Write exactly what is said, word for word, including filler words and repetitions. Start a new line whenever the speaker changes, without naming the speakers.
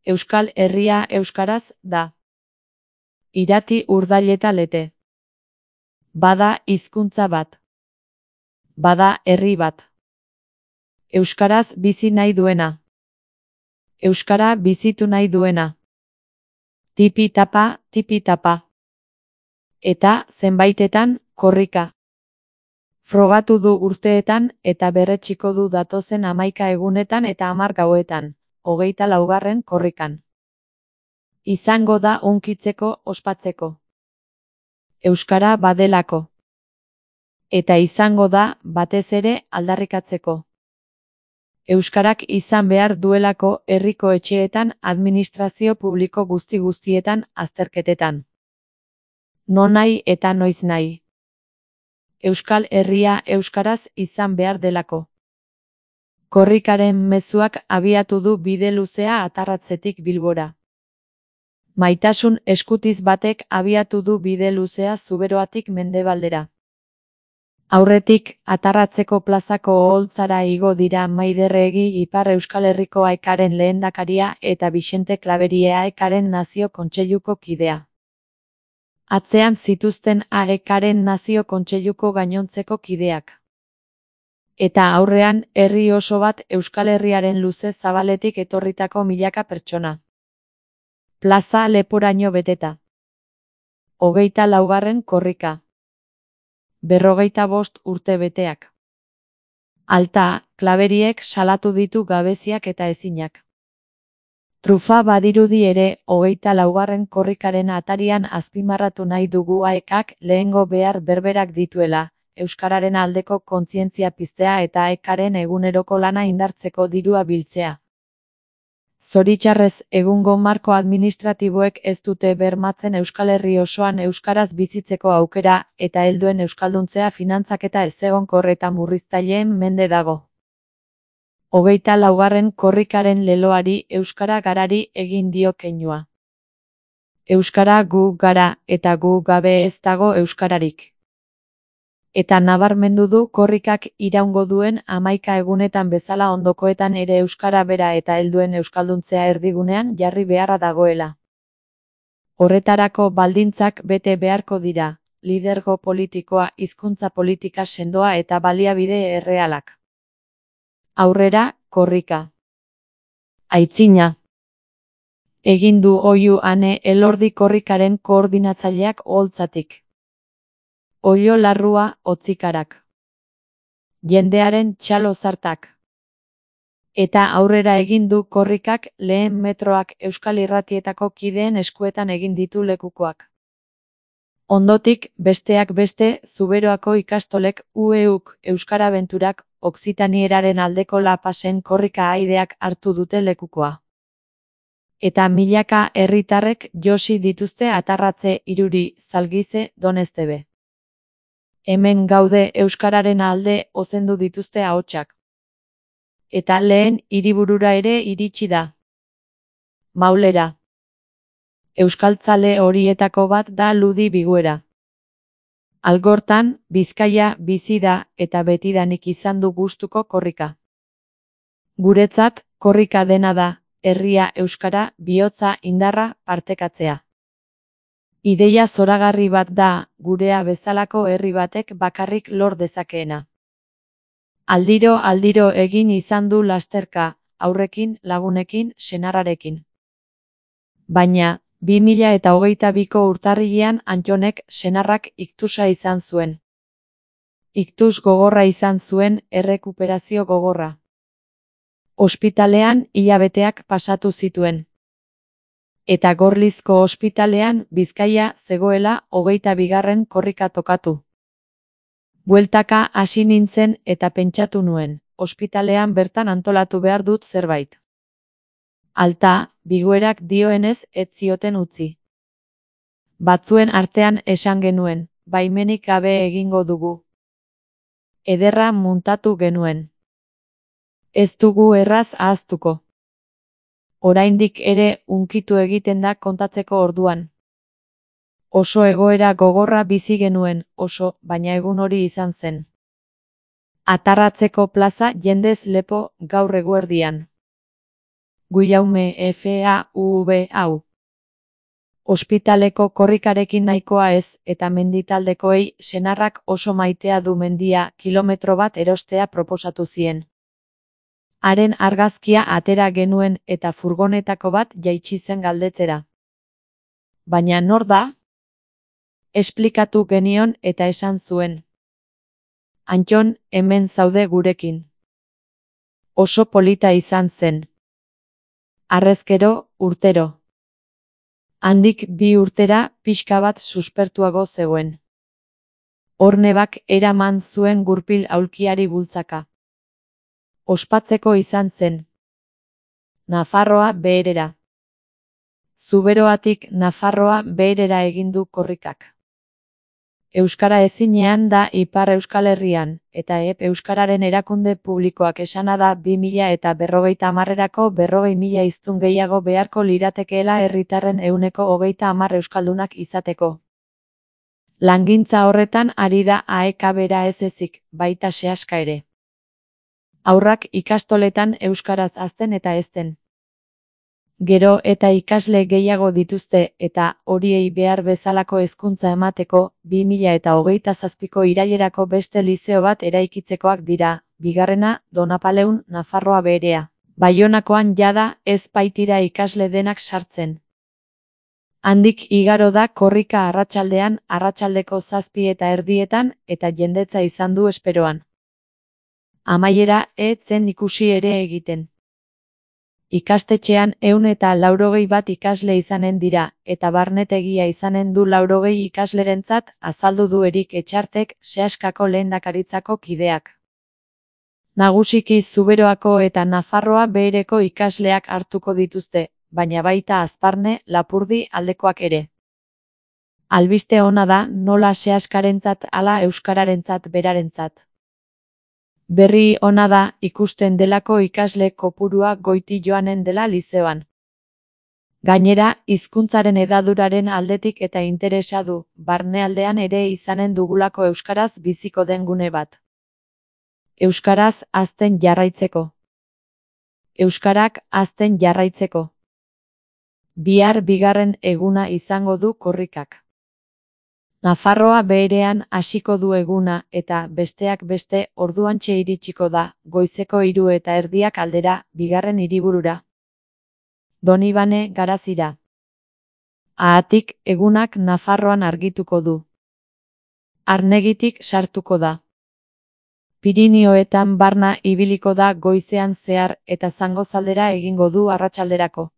Euskal Herria euskaraz da. Irati urdaileta lete. Bada hizkuntza bat. Bada herri bat. Euskaraz bizi nahi duena. Euskara bizitu nahi duena. Tipi-tapa, tipi-tapa. Eta zenbaitetan, korrika. Frogatu du urteetan eta berretxiko du datozen hamaika egunetan eta hamar gauetan, hogeita laugarren korrikan. Izango da hunkitzeko ospatzeko. Euskara badelako. Eta izango da, batez ere, aldarrikatzeko. Euskarak izan behar duelako herriko etxeetan, administrazio publiko guzti-guztietan, azterketetan. Nonahi eta noiz nahi. Euskal Herria euskaraz izan behar delako. Korrikaren mezuak abiatu du bide luzea Atarratzetik Bilbora. Maitasun eskutiz batek abiatu du bide luzea Zuberoatik Mendebaldera. Aurretik, Atarratzeko plazako oholtzara igo dira Maider Egi Ipar Euskal Herriko Aekaren lehendakaria eta Bixente Klaberia Aekaren Nazio Kontseiluko kidea. Atzean zituzten Aekaren Nazio Kontseiluko gainontzeko kideak. Eta aurrean, herri oso bat Euskal Herriaren luze zabaletik etorritako milaka pertsona. Plaza leporaino beteta. Hogeita laugarren korrika. Berrogeita bost urte beteak. Alta, Klaberiek salatu ditu gabeziak eta ezinak. Trufa badirudi ere, hogeita laugarren korrikaren atarian azpimarratu nahi dugu Aekak lehengo behar berberak dituela, euskararen aldeko kontzientzia piztea eta Aekaren eguneroko lana indartzeko dirua biltzea. Zoritxarrez, egungo marko administratiboek ez dute bermatzen Euskal Herri osoan euskaraz bizitzeko aukera eta helduen euskalduntzea finantzaketa ezegonkor eta murriztaileen mende dago. Hogeita laugarren korrikaren leloari euskara garari egin dio keinua. Euskara gu gara eta gu gabe ez dago euskararik. Eta nabarmendu du korrikak iraungo duen hamaika egunetan bezala ondokoetan ere euskara bera eta helduen euskalduntzea erdigunean jarri beharra dagoela. Horretarako baldintzak bete beharko dira, lidergo politikoa, hizkuntza politika sendoa eta baliabide errealak. Aurrera, korrika. Aitzina. Egin du oihu Ane Elordi korrikaren koordinatzaileak oholtzatik. Oilo larrua, hotzikarak. Jendearen txalo zartak. Eta aurrera egin du korrikak lehen metroak Euskal Irratietako kideen eskuetan egin ditu lekukoak. Ondotik, besteak beste, Zuberoako ikastolek U E Uk Euskara Benturak Oksitanieeraren aldeko lapasen korrika aideak hartu dute lekukoa. Eta milaka herritarrek josi dituzte Atarratze, Iruri, Zalgize, Doneztebe. Hemen gaude euskararen alde ozendu dituzte ahotsak. Eta lehen hiriburura ere iritsi da. Maulera. Euskaltzale horietako bat da Ludi Biguera. Algortan, Bizkaia bizi da eta betidanik izan du gustuko korrika. Guretzat, korrika dena da, herria euskara, bihotza, indarra, partekatzea. Ideia zoragarri bat da, gurea bezalako herri batek bakarrik lor dezakeena. Aldiro aldiro egin izan du lasterka, aurrekin, lagunekin, senarrarekin. Baina, bi mila eta hogeita biko urtarrilean Antxonek senarrak iktusa izan zuen. Iktus gogorra izan zuen, errekuperazio gogorra. Ospitalean hilabeteak pasatu zituen. Eta Gorlizko ospitalean Bizkaia zegoela hogeita bigarren korrika tokatu. Bueltaka hasi nintzen eta pentsatu nuen, ospitalean bertan antolatu behar dut zerbait. Alta, Biguerak dioenez ez zioten utzi. Batzuen artean esan genuen, baimenik gabe egingo dugu. Ederra muntatu genuen. Ez dugu erraz ahaztuko. Oraindik ere hunkitu egiten da kontatzeko orduan. Oso egoera gogorra bizi genuen, oso, baina egun hori izan zen. Atarratzeko plaza jendez lepo gaur eguerdian. Guillaume F A U V hau. Ospitaleko korrikarekin nahikoa ez, eta menditaldekoei senarrak oso maitea du mendia kilometro bat erostea proposatu zien. Haren argazkia atera genuen eta furgonetako bat jaitsi zen galdetzera. Baina nor da? Esplikatu genion eta esan zuen. Antton, hemen zaude gurekin. Oso polita izan zen. Harrezkero, urtero. Handik bi urtera pixka bat suspertuago zegoen. Hornebak eraman zuen gurpil aulkiari bultzaka. Ospatzeko izan zen. Nafarroa beherera. Zuberoatik Nafarroa beherera egin du korrikak. Euskara ezinean da Ipar Euskal Herrian, eta E P Euskararen erakunde publikoak esana da bi mila eta berrogeita hamarrerako berrogei mila hiztun gehiago beharko liratekeela herritarren ehuneko hogeita hamar euskaldunak izateko. Langintza horretan ari da A E K bera ez ezik, baita sehaska ere. Haurrak ikastoletan euskaraz hazten eta hezten. Gero eta ikasle gehiago dituzte eta horiei behar bezalako hezkuntza emateko bi mila eta hogeita zazpiko irailerako beste lizeo bat eraikitzekoak dira, bigarrena Donapaleun Nafarroa beherea. Baionakoan jada ez baitira ikasle denak sartzen. Handik igaro da korrika arratsaldean, arratsaldeko zazpi eta erdietan eta jendetza izan du esperoan. Amaiera ez zen ikusi ere egiten. Ikastetxean ehun eta laurogei bat ikasle izanen dira, eta barnetegia izanen du laurogei ikaslerentzat, azaldu du Erik Etxartek, sehaskako lehendakaritzako kideak. Nagusiki Zuberoako eta Nafarroa behereko ikasleak hartuko dituzte, baina baita Azparne, Lapurdi aldekoak ere. Albiste ona da nola sehaskarentzat ala euskararentzat berarentzat. Berri ona da ikusten delako ikasle kopurua goiti joanen dela lizeoan. Gainera, hizkuntzaren hedaduraren aldetik eta interesa du, barnealdean ere izanen dugulako euskaraz biziko den gune bat. Euskaraz hazten jarraitzeko. Euskarak hazten jarraitzeko. Bihar bigarren eguna izango du korrikak. Nafarroa beherean hasiko du eguna eta besteak beste orduantxe iritsiko da, goizeko hiru eta erdiak aldera, bigarren hiriburura. Donibane Garazira. Haatik egunak Nafarroan argituko du. Arnegitik sartuko da. Pirinioetan barna ibiliko da goizean zehar eta Zangozaldera egingo du arratsalderako.